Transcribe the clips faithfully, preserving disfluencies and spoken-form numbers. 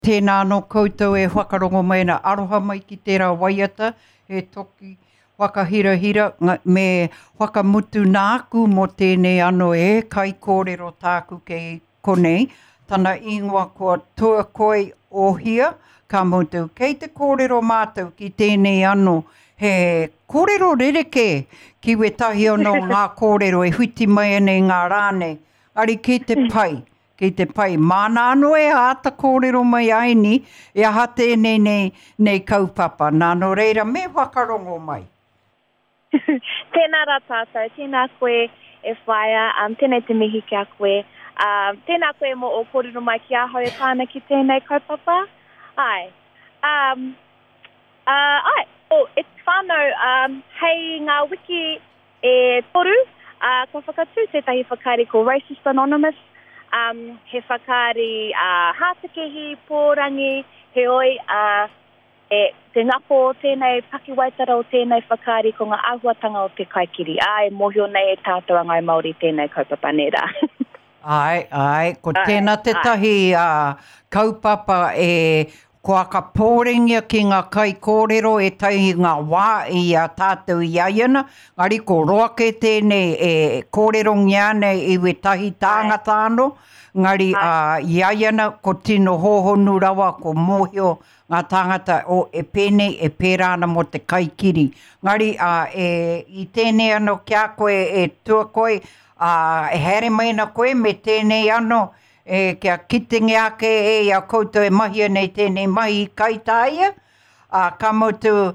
Tēnā anō koutou e whakarongo mai ana, aroha mai ki tērā waiata, he toki whakahirahira me whakamutu nāku mō tēnei anō e kaikōrero tāku kei konei, tana ingoa ko Tuakoi Ohia, ka mutu kei te kōrero mātou ki tēnei anō, he kōrero rerekē ki wētahi anō ngā kōrero e whiti mai ana i ngā rā nei, engari kei te pai. Kei te pai, māna anō e āta kōrero mai ai ni, e aha tēnei nei, nei kaupapa. Nā, nō reira, me whakarongo mai. Tēnā rā tātou, tēnā koe e whaea, um, tēnei te mihi ki a koe. Um, tēnā koe mō o kōrero mai ki ahau e pā ana ki tēnei kaupapa. Ai. Um, uh, ai, oh, e te whānau, um, hei ngā wiki e toru, uh, ka whakatū tētahi whakaari ko Racist Anonymous. Um, he whakaari uh, hātekehi, pōrangi, heoi, uh, e, te ngako o tēnei pakiwaitara o tēnei whakaari ko ngā āhuatanga o te kaikiri. Ā, e mōhio nei e tātou a Ngāi Māori tēnei kaupapa nē rā. Ai, ai, ko tēnā tētahi uh, kaupapa e kua ka pōrengia ki ngā kaikōrero e tai i ngā wā i a tātou i ai ana, ngari ko roa kē tēnei e kōrerongia ana i wētahi tāngata anō, ngari uh, i ai ana ko tino hōhonu rawa ko mōhio ngā tāngata o e pēnei e pērā ana mō te kaikiri. Ngari uh, e, i tēnei anō ki a koe e Tuakoi, uh, e haere mai ana koe me tēnei anō, e kia kitenge ake e i a koutou e mahia nei tēnei mahi i Kaitāia, ā, ka mutu,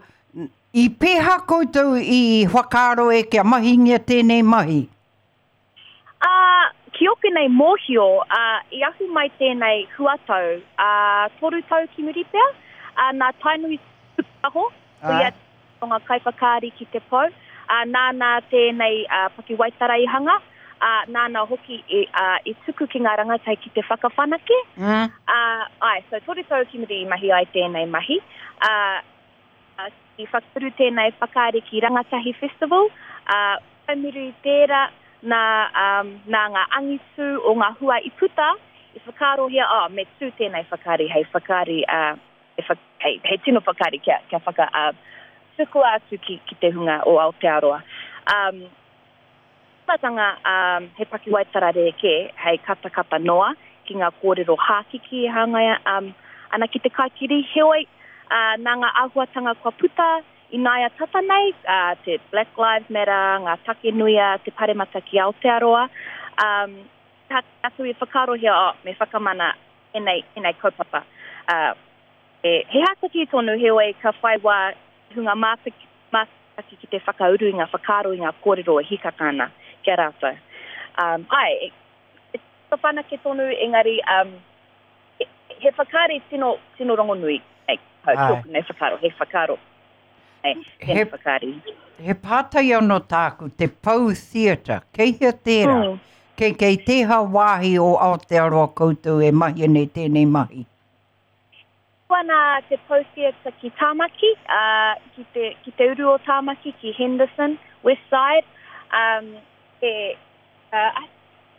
i pēhā koutou i whakaaro e kia mahingia tēnei mahi? Ā, ki oku nei mōhio, ā, i ahu mai tēnei huatau, ā, toru tau ki muri pea, ā, nā Tainui Tupaho, ko ia o ngā kaiwhakaari ki te pou, ā, nāna tēnei ā, pakiwaitara i hanga, ā, nāna hoki i, ā, i tuku ki ngā rangatahi ki te whakawhanake. Mm. Ā, ai, so toru tau ki muri i mahi ai tēnei mahi. Ā, ā, i whakauru tēnei whakaari ki Rangatahi Festival, ā, whai muri i tērā, nā, um, nā ngā angitu o ngā hua i puta, i whakaarohia, oh, me tū tēnei whakaari hei whakaari, ā, e wha, hei, hei tino whakaari kia, kia whaka, ā, tukua atu ki, ki te hunga o Aotearoa. Um, Tīmatanga, um, he pakiwaitara rerekē, hei katakata noa ki ngā kōrero hākiki e hāngai um, ana ki te kaikiri. Heoi, uh, nā ngā āhuatanga kua puta i naia tata nei, uh, te Black Lives Matter, ngā take nui a te paremata ki Aotearoa, um, atu i whakaarohia, oh, me whakamana tēnei, tēnei kaupapa. Uh, e, he hātaki tonu, heoi, ka whai wā hunga mātaki, mātaki ki te whakauru i ngā whakaaro i ngā kōrero e hikaka ana ki a rātou. Um, ai, e, e whanake tonu, engari, um, he, he whakaari tino, tino rongonui. Ei, hau, tōku nei whakaaro, he whakaaro. Ei, He, whakaari. He pātai anō tāku, te Pou Theatre, kei hea tērā? Mm. Kei, kei tēhea wāhi o Aotearoa koutou e mahia nei tēnei mahi? Ana te Pou Theatre ki Tāmaki, uh, ki, te, ki te uru o Tāmaki, ki Henderson, Westside. Um, e, uh,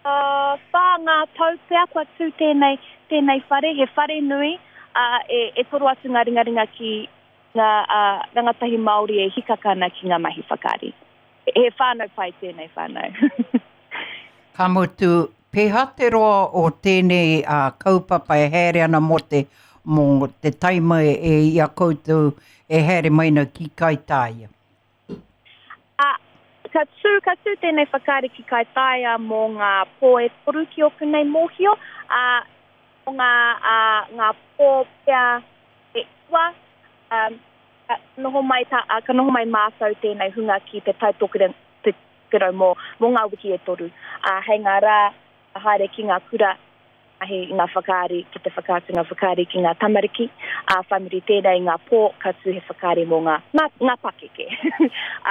uh, whā ngā tau pea kua tū tēnei, tēnei whare, he whare nui, uh, e, e toro atu ngā ringaringa ki ngā uh, rangatahi Māori e hikaka ana ki ngā mahi whakaari. He whānau pai tēnei whānau. Ka mutu, pēhā te roa o tēnei uh, kaupapa e haere ana mō te, mō te taima e i a koutou e haere mai na ki Kaitāia? Uh, ka tū, ka tū tēnei whakaari ki Kaitāia mō ngā pō e toru ki oku nei mōhio, uh, mō ngā, uh, ngā pō pea e iwa, um, ka noho mai, tā, uh, ka noho mai mātou tēnei hunga ki te Tai Tokerau, te Tokerau mō, mō ngā wiki e toru. Uh, hei ngā rā, haere ki ngā kura, mahi i ngā whakaari, ki te whakaatu ngā whakaari ki ngā tamariki, ā, whai muri tēnei ngā pō, ka tū he whakaari mō ngā, ngā, ngā pakeke.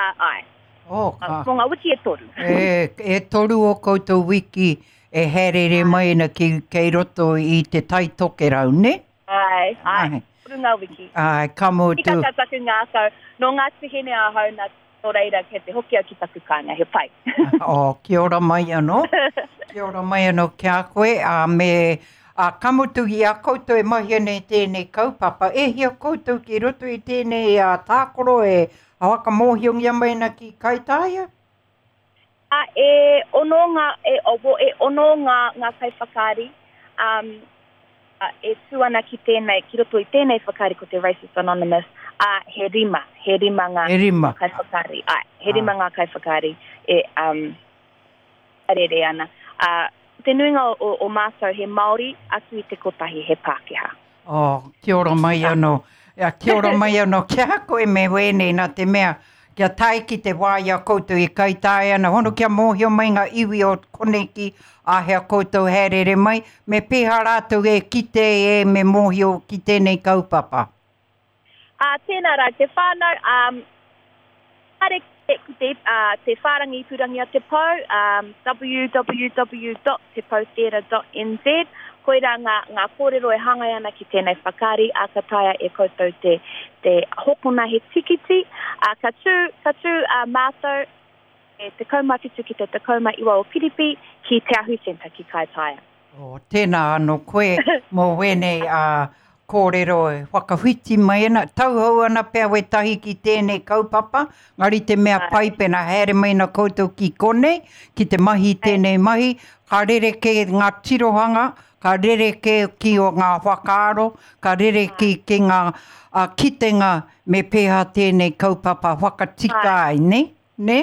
Ā, ai. Oh, ka. Mō ngā wiki e toru. E, e toru o koutou wiki e haerere mai ana ki, kei roto i te Tai Tokerau, ne? Ai, ai. Ai. Toru ngā wiki. Ai, ka mutu. Hikaka taku ngākau. Nō Ngāti Hine ahau, nā, nō reira, kei te hoki au ki taku kāinga, he pai. Oh, kia ora mai anō. Kia ora mai anō ki a koe, a me Ā, ka mutu i a koutou e mahi ana i tēnei kaupapa, e hia koutou ki roto i tēnei ā, tākaro e whakamōhiongia mai ana ki Kaitaia? Ā, e ono ngā, e, o, e ono ngā, ngā kaiwhakaari, um, e tū ana ki tēnei, ki roto i tēnei whakaari ko te Racist Anonymous, ā, he rima, he rima ngā he rima. kaiwhakaari. Āe, he rima ngā kaiwhakaari e um, rere ana. Ā, te nuinga o, o mātou he Māori, atu i te kotahi he Pākehā. Oh, kia ora mai anō. Ja, kia ora mai anō ki a koe me wēnei nā te mea, kia tae ki te wā i a koutou i Kaitaia ana, hono kia mōhio mai ngā iwi o konei ki āhea koutou haerere mai, me pēhea rātou e kite e me mōhio ki tēnei kaupapa? Ā, tēnā rā te whānau, um, haere ki te, uh, te whārangi ipurangi a Te Pou, um, w w w dot tepoutheatre dot n z, koirā ngā, ngā kōrero e hāngai ana ki tēnei whakaari, ā, ka taea e koutou te, te hokona he tikiti, ā, ka tū, ka tū uh, mātou e tekau mā whitu ki te tekau mā iwa o Piripi ki Te Ahu Centre ki Kaitaia. Oh, tēnā anō koe mō wēnei uh, kōrero e whakawhiti mai ana, tauhou ana pea wētahi ki tēnei kaupapa, ngari te mea pai pena haere mai na koutou ki konei, ki te mahi tēnei mahi, ka rerekē ngā tirohanga, ka rerekē ki o ngā whakaaro, ka rerekē ki ngā uh, kitenga me pēhea tēnei kaupapa whakatika ai, ne? Ne?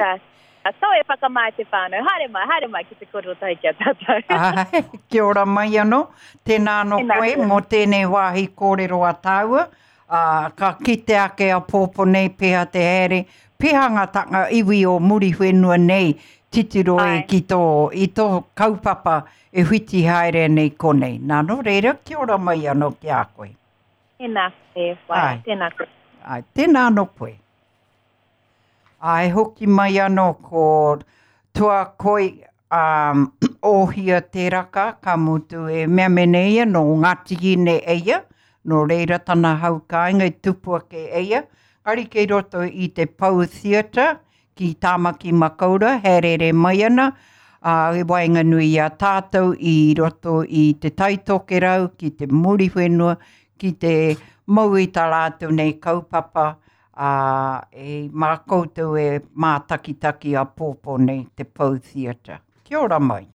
So e whakamā te whānau. Haere mai, haere mai ki te kōrero tahi ki a tātou. Ai, kia ora mai anō. Tēnā anō Tēnā koe koe. mō tēnei wāhi kōrero a tāua. Ā, ka kite ake a pōpō nei pēhea te haere, pēhea ngā tanga iwi o Muriwhenua nei titiro e Ai. ki tō, i tō kaupapa e whiti haere nei konei. Nā, nō reira, kia ora mai anō ki a koe. Tēnā koe, whai. Ai. Tēnā koe. Ai, tēnā anō koe. Ai, hoki mai anō ko Tuakoi um, Ohia Teraka, ka mutu e mea mene ia no Ngāti Hine eia, nō reira tana hau kāinga i tupu ake eia. Ngari kei roto i te Pou Theatre ki Tāmaki Makaurau, haerere mai ana, ā, i waenganui i a tātou i roto i te Taitokerau, ki te Muriwhenua, ki te mau i tā rātou nei kaupapa, ā, e mā koutou e mātakitaki a pōpō nei te Pou Theatre. Kia ora mai.